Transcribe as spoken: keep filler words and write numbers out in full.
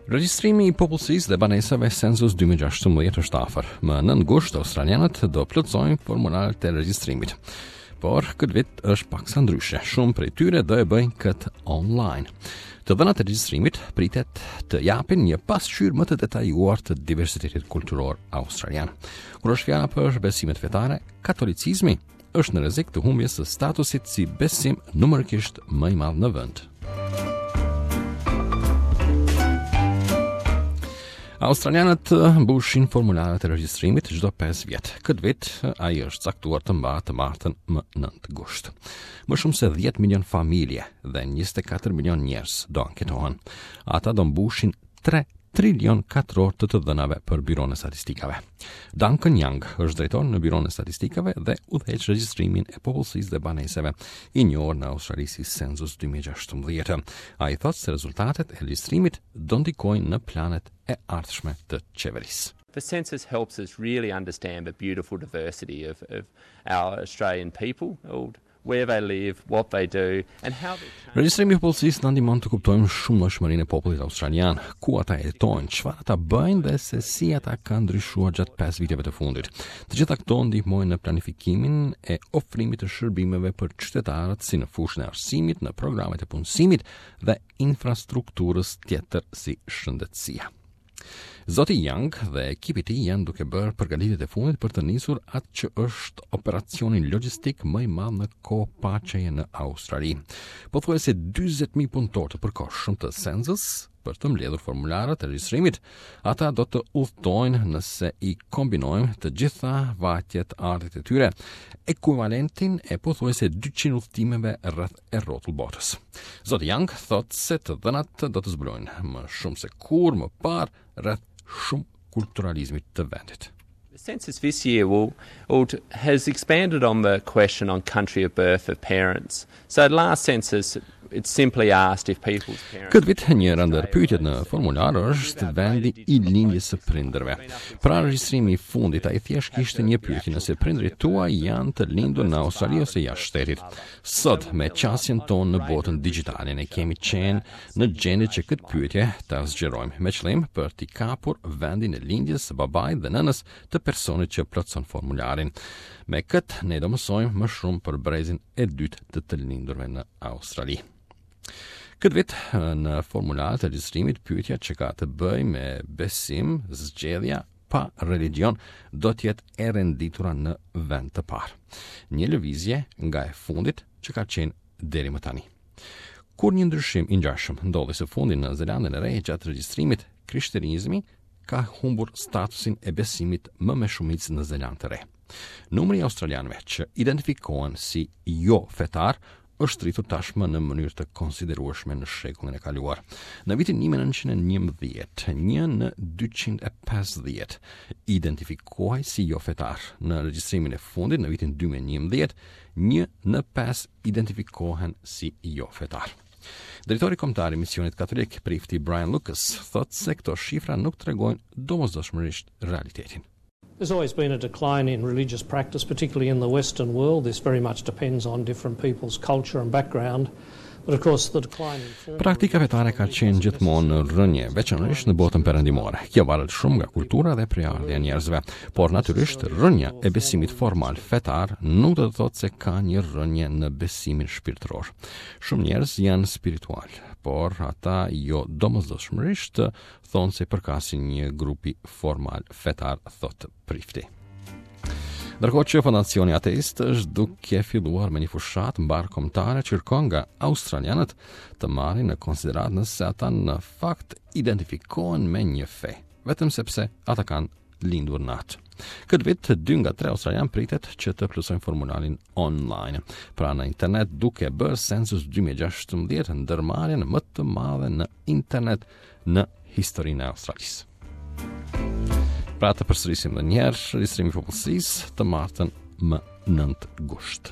Regjistrimi i popullsisë dhe banesave Census dy mijë e gjashtëmbëdhjetë është afër. Më nëntë gusht australianët do plotësojnë formularët e regjistrimit. Por këtë vit është paksa ndryshe. Shumë prej tyre do e bëjnë këtë online. Të dhënat e regjistrimit pritet të japin një pasqyrë më të detajuar të diversitetit kulturor australian. Kur është fjala për besimet fetare, katolicizmi është në rrezik të humbjes së statusit si besim numerikisht më i madh në vend. Australianët mbushin formularët e regjistrimit çdo pesë vjet. Këtë vit ai është caktuar të mbahet të martën më nëntë gusht. Më shumë se dhjetë milion familje dhe njëzet e katër milion njerëz do anketohen. Ata do mbushin tre trilion katror të të dhënave për Byronë e Statistikave. Duncan Young është drejtor në Byronë e Statistikave dhe udhëheq regjistrimin e popullsisë dhe banesave, i njohur në Australi si Census dy mijë e gjashtëmbëdhjetë. Ai thotë se rezultatet e regjistrimit do ndikojnë në planet e ardhshme të qeverisë. The census helps us really understand the beautiful diversity of, of our Australian people, where they live, what they do, and how they change. Regjistrimi i popullsisë na ndihmon të kuptojmë shumëllojshmërinë e popullit australian, ku ata jetojnë, çfarë ata bëjnë dhe se si ata kanë ndryshuar gjatë pesë viteve të fundit. Të gjitha këto ndihmojnë në planifikimin e ofrimit të shërbimeve për qytetarët, si në fushën e arsimit, në programet e punësimit dhe infrastrukturës tjetër si shëndetësia. Zoti Young dhe ekipi i tij janë duke bërë përgatitjet e fundit për të nisur atë që është operacioni logjistik më i madh në kohë paqeje në Australi. Pothuajse dyzet mijë punëtorë të përkohshëm të Census për të mbledhur formularët e regjistrimit, ata do të udhtojnë, nëse i kombinojmë të gjitha vajtjet ardhjet e tyre, ekuivalentin e pothuajse dyqind udhëtimeve rreth e rrotull botës. Zoti Young thotë se të dhënat do të zbulojnë më shumë se kurrë më parë rreth shumëkulturalizmit të vendit. The census this year will, will has expanded on the question on country of birth of parents. So last census, it simply asked if people's parents. Këtë vit njëra ndër pyetjet në formular është vendi i lindjes së prindërve. Pra, regjistrimi i fundit ai thjesht kishte një pyetje nëse prindërit tuaj janë të lindur në Australi ose jashtë shtetit. Sot, me qasjen tonë në botën digjitale, ne kemi qenë në gjendje që këtë pyetje ta zgjerojmë me qëllim për t'i kapur vendin e lindjes së babait dhe nënës të personit që plotëson formularin. Me këtë ne do mësojmë më shumë për brezin e dytë të të lindurve në Australi. Këtë vit në formularët e regjistrimit, pyetja që ka të bëjë me besim, zgjedhja pa religion, do të jetë e renditura në vend të parë. Një lëvizje nga e fundit që ka qenë deri më tani. Kur një ndryshim i ngjashëm ndodhi së fundi në Zelandën e Re gjatë regjistrimit, krishterizmi ka humbur statusin e besimit më me shumicë në Zelandë të Re. Numri i australianëve që identifikohen si jo fetar është rritur tashmë në mënyrë të konsiderueshme në shekullin e kaluar. Në vitin një mijë e nëntëqind e njëmbëdhjetë, një në dyqind e pesëdhjetë identifikohej si jo fetar. Në regjistrimin e fundit në vitin dy mijë e njëmbëdhjetë, një në pesë identifikohen si jo fetar. Drejtori kombëtar i misionit katolik, prifti Brian Lucas, thotë se këto shifra nuk tregojnë domosdoshmërisht realitetin. There's always been a decline in religious practice, particularly in the Western world. This very much depends on different people's culture and background. But of course, the decline in formal Praktika fetare ka qenë gjithmonë në rënje, veçanërisht në botën perëndimore. Kjo varet shumë nga kultura dhe prejardhja e njerëzve, por natyrisht rënja e besimit formal fetar nuk do të thotë se ka një rënje në besimin shpirtëror. Shumë njerëz janë spiritual, por ata jo domosdoshmërisht thonë se përkasin një grupi formal fetar, thotë prifti. Ndërkohë që Fondacioni Ateist është duke filluar me një fushatë mbarëkombëtare që kërkon nga australianët të marrin në konsideratë nëse ata në fakt identifikohen me një fe, vetëm sepse ata kanë lindur në atë. Këtë vit, dy nga tre australian pritet që të plotësojnë formularin online, pra në internet, duke bërë Census dy mijë e gjashtëmbëdhjetë ndërmarrjen më të madhe në internet në historinë e Australisë. Pra, të përsërisim edhe një herë, regjistrimi i popullsisë të martën më nëntë gusht.